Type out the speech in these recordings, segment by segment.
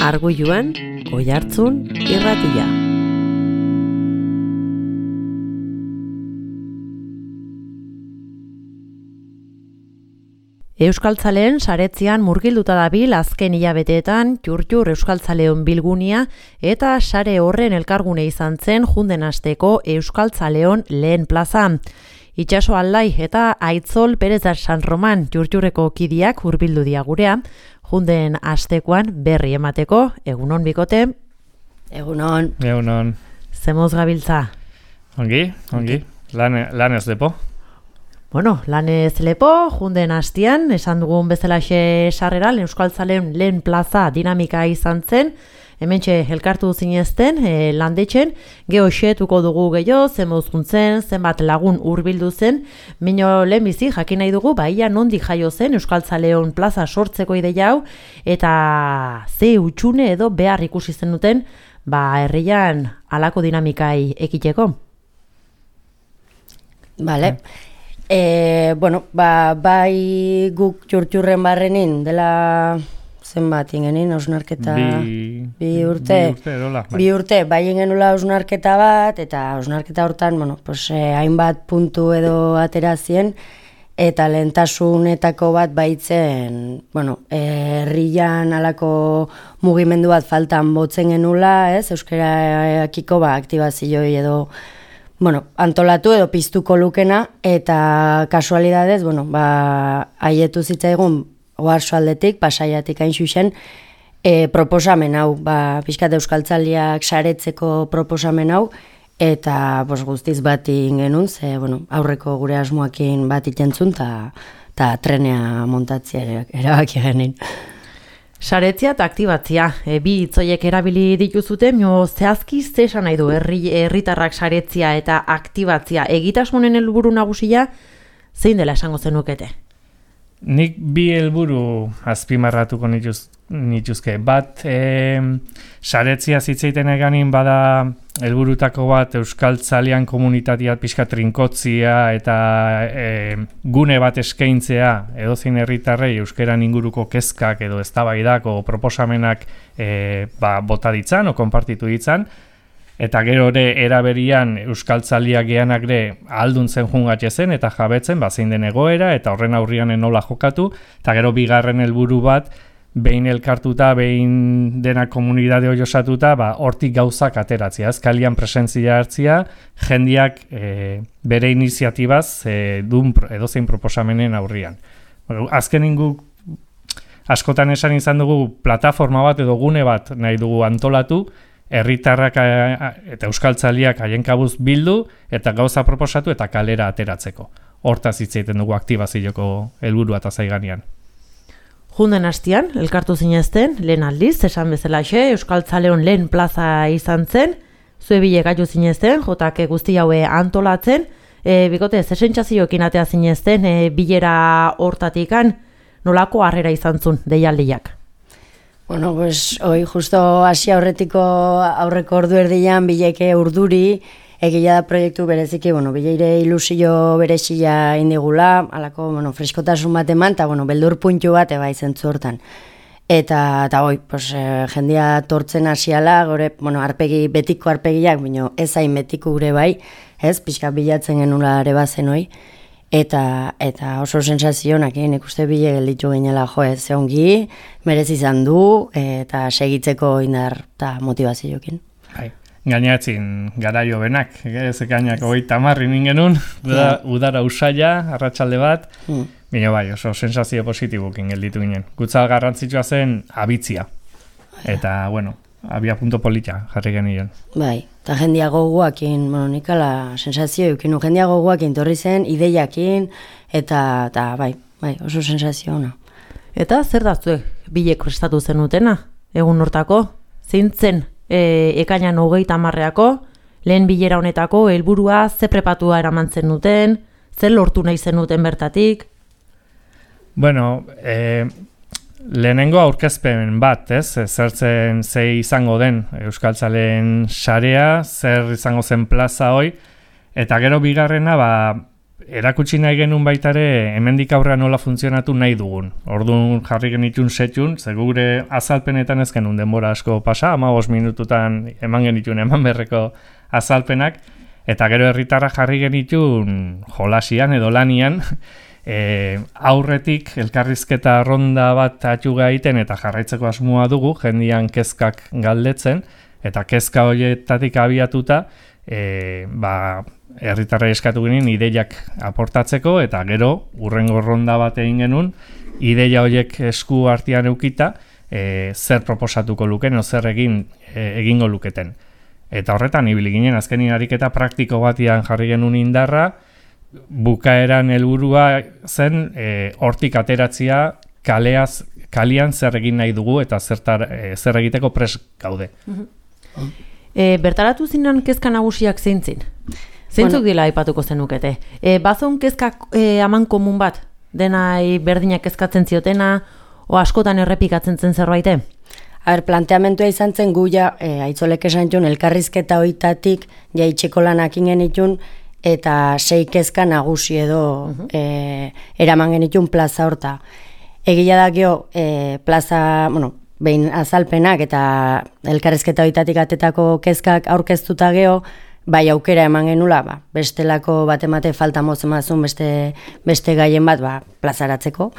Arguiluan, Oihartzun irratia. Euskaltzaleen saretzean murgilduta dabil azken hilabeteetan Txurtxur Euskaltzaleon bilgunia eta sare horren elkargune izan zen junden asteko Euskaltzaleon lehen plaza. Itxaso Aldai eta Aitzol Perez da San Roman Txurtxurreko kidiak hurbildu dia gurea, junden astekoan berri emateko. Egunon bikote? Egunon. Egunon. Zemoz gabiltza? Ongi. Lan ez lepo. Bueno, lanez lepo, junden hastian, esan dugun bezalaxe sarrera, Euskaltzaleon lehen plaza dinamika izan zen, hementxe elkartu zinezten, landetxen, gehoxetuko dugu gehiago, zenbozkuntzen, zenbat lagun hurbildu zen, mino lehenbizi jakin nahi dugu, baia nondik jaio zen Euskaltzaleon plaza sortzeko ideia hau, eta ze utxune edo behar ikusi zen duten, herrian halako dinamikai ekiteko. Vale. Bai guk Txurtxurren barrenin dela zenbat ingenin hausnarketa bi urte bai ingenula hausnarketa bat eta hausnarketa hortan hainbat puntu edo aterazien eta lehentasunetako bat baitzen herrian halako mugimendu bat faltan botzen genula, euskarakiko aktibazioi edo antolatu edo piztuko lukena, eta kasualidadez, haietu zitzaigun Oarsoaldetik, Pasaiatik hain zuzen, proposamen hau, pixkat euskaltzaliak saretzeko proposamen hau, eta guztiz bat ingenun, aurreko gure asmoakin bat itentzun, eta trenea montatzea erabaki genin. Saretzia eta aktibatzia, bi hitzoiek erabili dituzute, zehazki zesan nahi du herritarrak saretzia eta aktibatzia egitasmonen helburu nagusia zein dela esango zenukete? Nik bi helburu azpimarratuko nituzke. Bat, saretzia zitzeiten eganin bada helburutako bat euskaltzalean komunitatea pixka trinkotzia eta gune bat eskaintzea edozein herritarrei euskeran inguruko kezkak edo eztabaidako proposamenak bota ditzan o konpartitu ditzan. Eta gero ere eraberian euskaltzaliak geanak ere ahalduntzen jungatzezen eta jabetzen zein den egoera eta horren aurrian nola jokatu. Eta gero bigarren helburu bat, behin elkartuta, behin dena komunidade hori osatuta, hortik gauzak ateratzea. Azkalian presentzia hartzia, jendiak bere iniziatibaz edozein proposamenen aurrian. Azkenin guk askotan esan izan dugu plataforma bat edo gune bat nahi dugu antolatu, herritarrak eta euskaltzaliak haien kabuz bildu eta gauza proposatu eta kalera ateratzeko. Hortaz hitz egiten dugu aktibazioko helburua eta zaiganean. Junden hastian, elkartu zinezten, lehen aldiz, esan bezalaxe, Euskaltzaleon lehen plaza izan zen, zue bile gaitu zinezten, jotak guzti haue antolatzen, bikote, zesentzazioekin atea zinezten, bilera hortatikan, nolako harrera izan zun, deialdiak? Hoi justo hasi aurreko ordu erdian bileke urduri, egia da proiektu bereziki, bileire ilusio berezia indigula, alako, freskotasun bat eman, eta, beldur puntu bat eba izentzu hortan. Eta jendia tortzen hasiala, gore, betiko arpegiak, ez hain betiko gure bai, pixka bilatzen genula ere bazen hoi, eta oso sensazionak, nik uste bile gelditu ginela, ze ongi, merez izan du, eta segitzeko indar eta motivazioekin. Gainatzen garaio benak, zekainak 30 ningenun, udara usaila, arratsalde bat, baina oso sensazio positibokin gelditu ginen. Gutzal garrantzitsua zen abitzia, eta, abia punto polita jarri genien. Bai, eta jendia goguakin, nik ala sensazio eukin, jendia goguakin torri zen, ideiakin, eta bai, oso sensazio ona. Eta zer da zuek bilek prestatu zenutena, egun hortako, zein zen? Ekainan 30ako, lehen bilera honetako, helburua ze prepatua eraman zen duten, zer lortu nahi zen duten bertatik? Lehenengo aurkezpen bat, zertzen ze izango den Euskaltzaleen sarea, zer izango zen plaza hoi, eta gero bigarrena, erakutsi nahi genuen baitare hemendik aurrera nola funtzionatu nahi dugun. Orduan jarri genitun setxun, ze gure azalpenetan ez genuen denbora asko pasa, 15 minututan eman genitun eman berreko azalpenak, eta gero herritarra jarri genitun jolasian edo lanian, aurretik elkarrizketa ronda bat atxuga egiten eta jarraitzeko asmoa dugu, jendian kezkak galdetzen, eta kezka horietatik abiatuta, herritarra eskatu ginen ideiak aportatzeko, eta gero hurrengo ronda bat egin genuen, ideia horiek esku artean eukita, zer proposatuko luken, o zer egingo luketen. Eta horretan, ibili ginen, azkenin ariketa praktiko batian jarri genuen indarra, bukaeran helburua zen, hortik ateratzia kalian zer egin nahi dugu, eta zer egiteko pres gaude. Bertaratu zinan kezka nagusiak zeintzin? Zeintzuk dela aipatuko zenukete? Bazon kezka aman komun bat? Denai berdinak kezkatzen ziotena, o askotan errepikatzen zen zerbaite? Planteamentua izan zen gu aitzolek esan jun, elkarrizketa hoitatik jaitxeko lanak ingen itun, eta 6 kezka nagusi edo eraman genitun plaza horta. Egia da gio, plaza, behin azalpenak eta elkarrizketa hoitatik atetako kezkak aurkeztuta geho, bai aukera eman genula, bestelako bat emate falta mozemazun beste gaien bat plazaratzeko.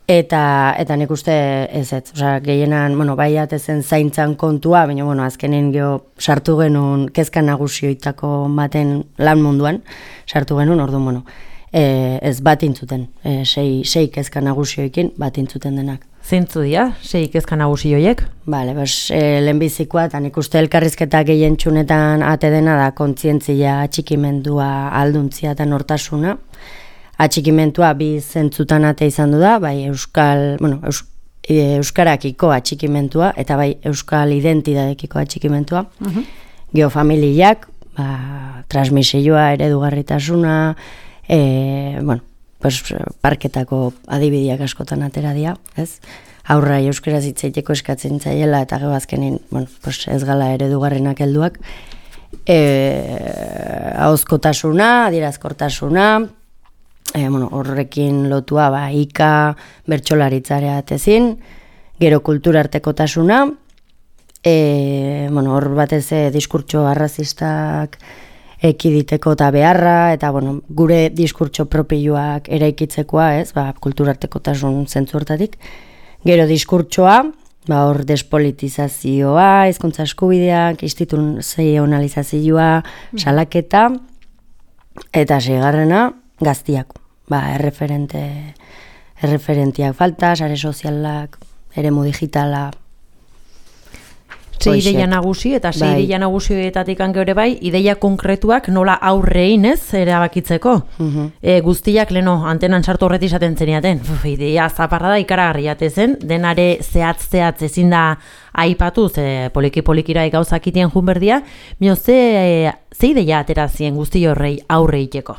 Eta nik uste ez, gehienan, bai atezen zaintzan kontua, baina azkenen sartu genuen kezka nagusioitako baten lan munduan, sartu genuen, orduan, ez bat intzuten, 6 kezka nagusioekin bat intzuten denak. Zeintzu dira, 6 kezka nagusioiek? Lehenbizikoa, eta nik uste elkarrizketa gehien txunetan ate dena da kontzientzia, atxikimendua, alduntzia eta nortasuna. Atxikimentua bi zentzutan ate izan du da, bai euskarakiko atxikimentua eta bai euskal identidadekiko atxikimentua. Geofamiliak, transmisioa, eredugarritasuna, parketako adibideak askotan atera dira, ez? Aurra euskaraz hitz egiteko eskatzen zaiela eta gero azkenin, ez gala eredugarrenak helduak. Ahozkotasuna, adierazkortasuna, horrekin lotua ika bertsolaritzarea atezin, gero kulturartekotasuna, hor batez diskurtso arrazistak ekiditeko eta beharra, eta gure diskurtso propioak eraikitzekoa, ez, kulturartekotasun zentzu hortatik. Gero diskurtsoa, hor despolitizazioa, hizkuntza eskubideak, instituzionalizazioa, salaketa, eta 6. Gaztiak, erreferentiak falta, sare sozialak, eremu digitala. 6 ideia nagusi eta 6 ideia nagusietatik ere bai, ideia konkretuak nola aurrein ez erabakitzeko. Guztiak leno antenan sartu horreti izaten zeniaten. Ideia zaparra da ikaragarri jatezen, denare zehatz ezin da aipatu, ze poliki-polikira gauzak itien jun berdia, ze ideia aterazien guzti horrei aurreiteko?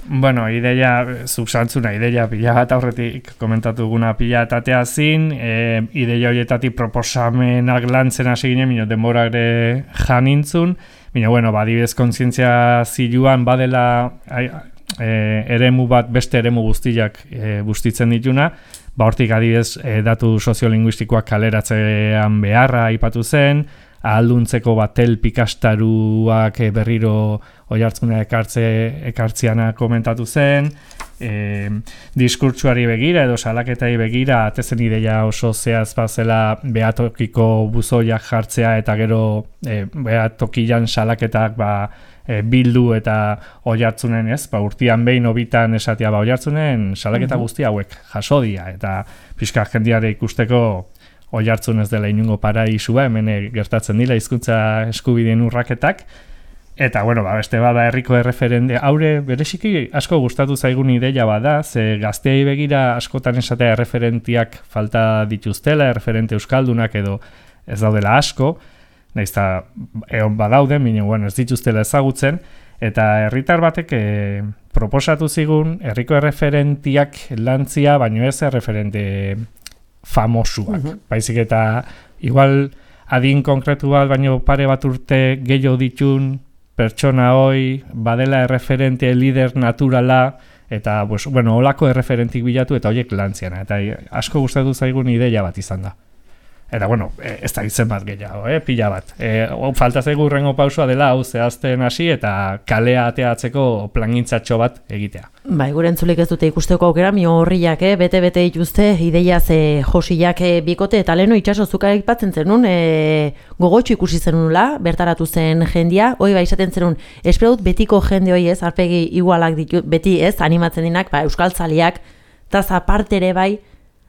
Ideia, zuksantzuna, ideia pila bat aurretik komentatu duguna pila tatea zin, ideia horietatik proposamenak lantzen hasi ginen, denbora ere janintzun, adibidez kontzientzia ziluan badela eremu bat, beste eremu guztiak bustitzen dituna, hortik adibidez datu soziolinguistikoak kaleratzean beharra aipatu zen, ahalduntzeko batel pikastaruak berriro oihartzuna ekartziana komentatu zen, diskurtsuari begira edo salaketai begira atezen ideia oso zehaz bazela behatokiko buzoiak jartzea eta gero behatokian salaketak bildu eta oihartzunen ez, urtean behin obitan esatea oihartzunen salaketa guzti hauek jasodia eta pixka jendiare ikusteko oihartzun ez dela inungo paraisua, hemen gertatzen dira hizkuntza eskubideen urraketak, eta beste bada herriko erreferente, haure bereziki asko gustatu zaigun ideia bada, ze gazteei begira askotan esatea erreferentiak falta dituztela, erreferente euskaldunak edo ez daudela asko, nahiz eta egon badauden, baina ez dituztela ezagutzen, eta herritar batek proposatu zigun herriko erreferentiak lantzia, baino ez erreferente famosuak. Baizik eta igual adin konkretu bat, baino pare bat urte gehiago ditun pertsona hoi badela erreferente lider naturala, eta, olako erreferentik bilatu eta horiek lantziana. Eta asko gustatu zaigun ideia bat izan da. Eta, ez da izen bat gehiago, pila bat. Falta zaigu hurrengo pausua dela, hau zehazten hasi eta kalea ateatzeko plangintzatxo bat egitea. Bai, gure entzulik ez dute ikusteko aukera, mio horriak, bete-bete dituzte, ideia ze josiak bikote, eta leheno itxaso zuka aipatzen zenun, gogotxo ikusi zenunula, bertaratu zen jendia, hoi izaten zenun, esperadut betiko jende hoi ez, arpegi igualak ditu, beti ez, animatzen dinak, euskaltzaliak, eta zapartere bai,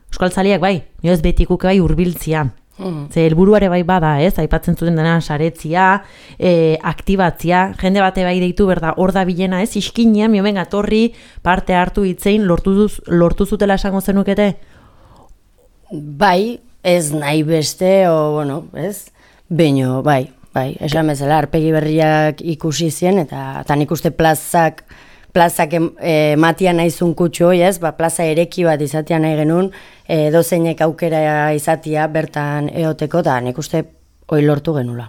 euskaltzaliak bai, nio ez betikuk bai urbiltzia. Ze helburuare bai bada, ez, aipatzen zuten dena saretzia, aktibatzia, jende bate bai deitu berda, hor da bilena, ez, iskinean, miomen gatorri, parte hartu hitzein, lortu zutela esango zenukete? Bai, ez nahi beste, ez, baino, bai, esan bezala, arpegi berriak ikusi zien, eta nik uste plazak matian naizun kutxo, ez, plaza ereki bat izatea nahi genuen, dozeinek aukera izatea bertan eoteko, eta nik uste hoi lortu genula.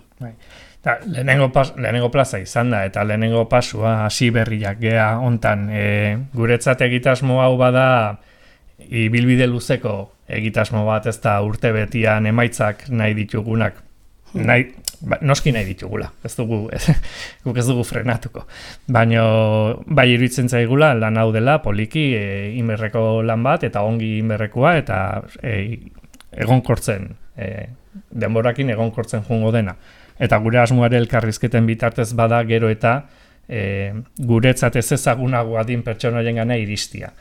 Lehenengo plaza izan da, eta lehenengo pasua hasi berriak gea hontan. Guretzat egitasmo hau bada ibilbide luzeko egitasmo bat, ez da urte betian emaitzak nahi ditugunak. Noski nahi ditugula, guk ez dugu frenatuko. Baina bai iruditzen zaigula lan hau dela poliki inberreko lan bat eta ongi inberrekoa eta egonkortzen, denborakin egonkortzen joango dena. Eta gure asmoare elkarrizketen bitartez bada gero eta guretzat ez ezagunagoa din pertsonaien iristia.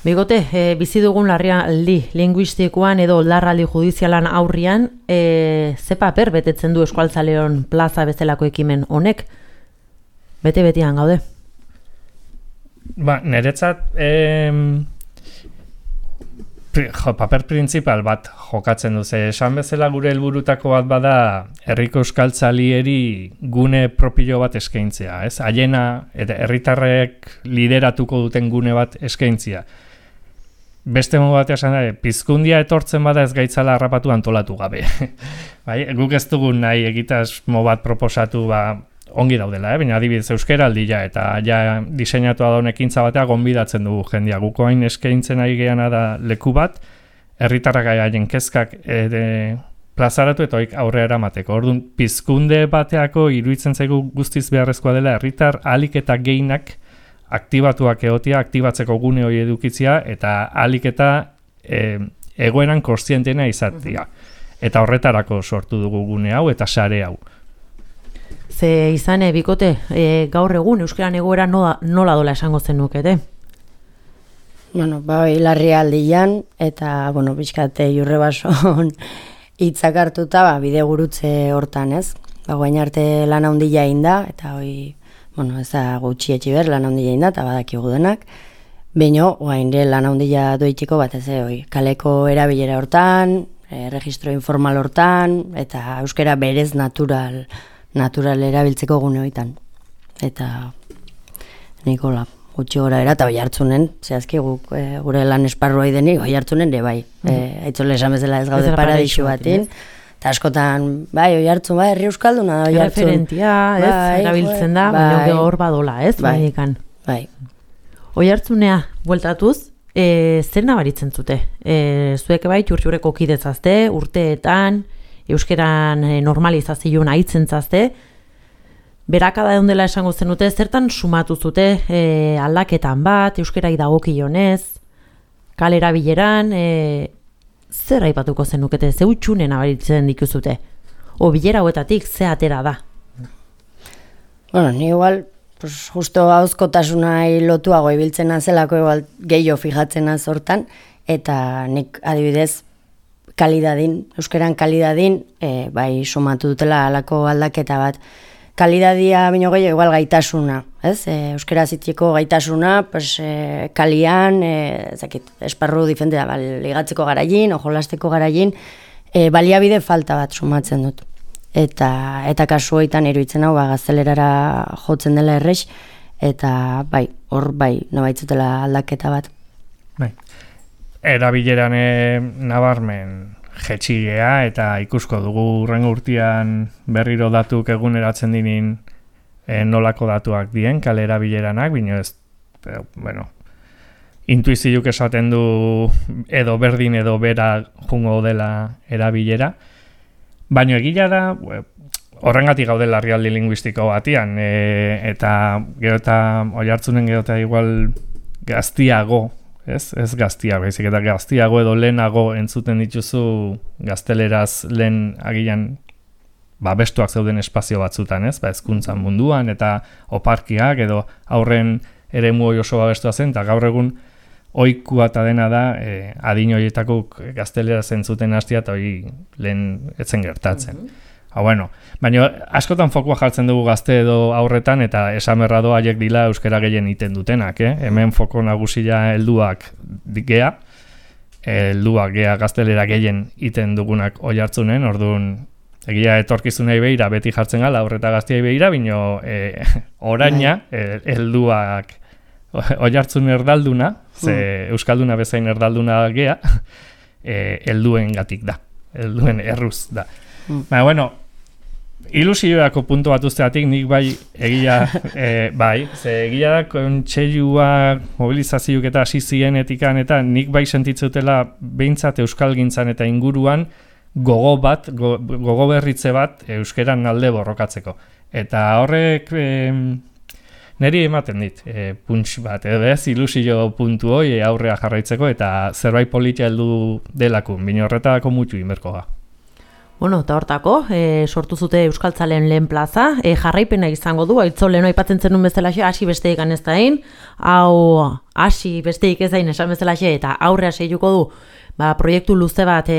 Bigote, bizi dugun larrialdi linguistikoan edo larraldi judizialan aurrian, ze paper betetzen du Euskaltzaleon plaza bezalako ekimen honek? Bete-betian gaude? Niretzat paper printzipal bat jokatzen du, esan bezala gure helburutako bat bada herriko euskaltzalieri gune propio bat eskaintzea, ez? Haiena eta herritarrek lideratuko duten gune bat eskaintzea. Beste modu batean esan da, pizkundia etortzen bada ez gaitzala harrapatu antolatu gabe. Guk ez dugu nahi egitasmo bat proposatu ongi daudela, baina adibidez euskeraldia eta ja diseinatua daun ekintza batea gonbidatzen dugu jendia. Guko hain eskaintzen ari geana da leku bat, herritarrak haien kezkak plazaratu eta hoik aurrera emateko. Orduan, pizkunde bateako iruditzen zaigu guztiz beharrezkoa dela herritar ahalik eta gehienak aktibatuak egotia, aktibatzeko gune hori edukitzea eta ahalik eta egoeran kontzientena izatea. Eta horretarako sortu dugu gune hau eta sare hau. Ze izan, bikote, gaur egun euskeran egoera nola dola esango zenukete? Larrialdian eta, bizkate jurre bason hitzak hartuta, bide gurutze hortan, ez? Guain arte lan handia inda, eta hoi, ez da gutxi etxiber lan handia inda, eta badakigu denak. Baina, guain lan handia doitxiko bat ez, kaleko erabilera hortan, registro informal hortan, eta euskera berez natural erabiltzeko gune hoitan. Eta Nikola, gutxi gora era, eta Oiartzunen, zehazki gure lan esparrua denik, Oiartzunen ere bai. Aitzole esan bezala ez gaude paradixu batin. Eta askotan, Oiartzun, herri euskalduna da Oiartzun. Referentia, erabiltzen da, baina hor badola, ez? Bai. Oiartzunea, bueltatuz, zer nabaritzen zute? Zuek bai, txurtxureko kidetzazte, urteetan, euskeran normalizazioan aitzen zazte, berakada dela esango zenute, zertan sumatu zute aldaketan bat, euskerai dagokionez, kalera bileran, zer aipatuko zenukete, ze utxunen nabaritzen dituzute? O bilera hoetatik, ze atera da? Ni igual, justo hauzkotasunai lotuago ibiltzen nazelako, igual gehiago fijatzen hortan, eta nik adibidez, kalidadin, euskeran kalidadin, bai sumatu dutela alako aldaketa bat. Kalidadia bino gehiago igual gaitasuna, ez? Euskera zitieko gaitasuna, kalian, esparru difente da, ligatzeko garaien, ojolasteko garaien, baliabide falta bat sumatzen dut. Eta kasu hoitan iruditzen hau, gaztelerara jotzen dela errex, eta hor nabaitzutela aldaketa bat. Erabileran nabarmen jetxigea eta ikusko dugu urrengo urtean berriro datuk eguneratzen dinin nolako datuak dien, kale erabileranak, bino ez, bueno, intuiziuk esaten du edo berdin edo bera jungo dela erabilera, baina egila da, horrengatik gaude larrialdi linguistiko batian, eta gero eta Oiartzunen gero eta igual gaztiago, ez gaztiago, baizik eta gaztiago edo lehenago entzuten dituzu gazteleraz lehen agian bestuak zeuden espazio batzutan, ez? Hezkuntzan munduan eta oparkiak edo aurren eremu oso babestua zen, eta gaur egun ohikoa eta dena da adin horietako gazteleraz entzuten hastia eta hori lehen etzen gertatzen. Bueno, baina askotan fokua jartzen dugu gazte edo aurretan eta esamerra doa haiek dila euskara gehien iten dutenak, Hemen foko nagusia helduak gea, gaztelera gehien iten dugunak Oiartzunen, orduan egia etorkizunei behira beti jartzen gala aurreta gaztiai behira, bino oraina helduak Oiartzun erdalduna, ze euskalduna bezain erdalduna gea, helduen gatik da, helduen erruz da. Baina, bueno, ilusioako puntu bat usteatik nik bai egia, ze egia da kontseilua mobilizazioak eta hasi zienetikan eta nik bai sentitzutela behintzat euskalgintzan eta inguruan gogo berritze bat euskeran alde borrokatzeko. Eta horrek niri ematen dit, punts bat, ez ilusio puntu hoi aurrea jarraitzeko eta zerbait politia heldu delakun, bino horretako mutu inberko ga. Bueno, eta hortako, sortu zute Euskaltzaleen lehen plaza, jarraipena izango du, Aitzol lehen aipatzen zenun bezalaxe, hasi besteik ez dain, hau hasi besteik ez dain esan bezalaxe, eta aurrea seituko du, proiektu luze bat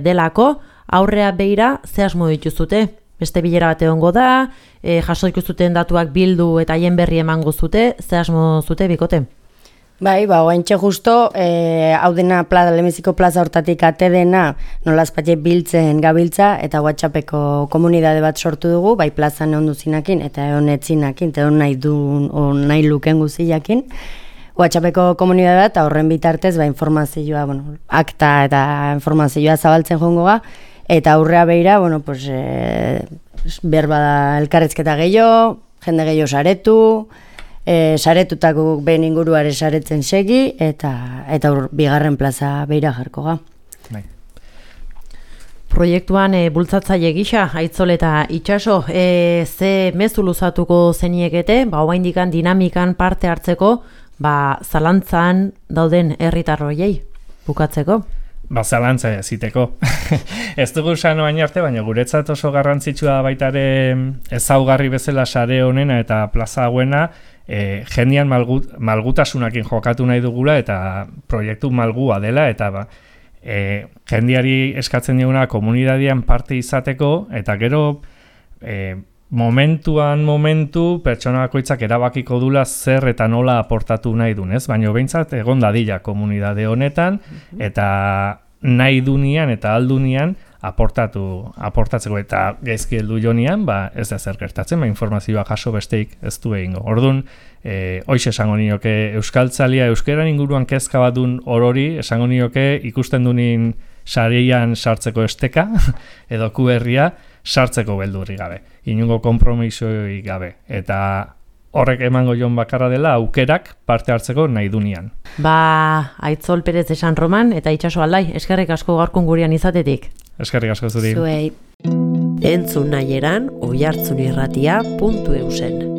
delako, aurrea beira ze asmo dituzute, beste bilera bat egongo da, jaso ikustuten datuak bildu eta haien berri emango zute, ze asmo zute bikote? Bai, oaintxe justo, hau dena Lemeziko plaza hortatik ate dena nolazpatxe biltzen gabiltza eta WhatsAppeko komunidade bat sortu dugu, bai plazan egon duzinakin eta egon etzinakin, eta egon nahi luken guziakin. WhatsAppeko komunidade bat, horren bitartez, informazioa, akta eta informazioa zabaltzen joango ga, eta aurrea beira, behar bada elkarrezketa gehiago, jende gehiago saretu, saretutako behin inguruare saretzen segi, eta bigarren plaza beira jarko ga. Proiektuan bultzatzaile gisa, Aitzol eta Itxaso, ze mezu luzatuko zeniekete, oraindikan dinamikan parte hartzeko, zalantzan dauden herritarroiei bukatzeko? Zalantza ziteko. Ez dugu sano baina arte, baina guretzat oso garrantzitsua baitare ezaugarri bezala sare honena eta plaza hauena, jendean malgutasunakin jokatu nahi dugula eta proiektu malgua dela eta jendeari eskatzen diguna komunitatean parte izateko eta gero momentu pertsona bakoitzak erabakiko dula zer eta nola aportatu nahi dun, ez? Baina behintzat egon dadila komunitate honetan eta nahi dunian eta aldunian aportatzeko eta gaizki heldu jonian, ez da zer gertatzen, informazioa jaso besteik ez du egingo. Orduan, hoiz esango nioke euskaltzalia, euskeran inguruan kezka bat dun orori, esango nioke ikusten dunin sareian sartzeko esteka, edo QRia sartzeko beldurri gabe, inungo konpromisoi gabe, eta horrek emango jon bakarra dela aukerak parte hartzeko nahi dunian. Aitzol Perez de San Roman eta Itxaso Aldai, eskerrik asko gaurkon gurean izatetik. Eskerrik asko zuri. Zuei. Entzun nahi eran oiartzunirratia.eusen.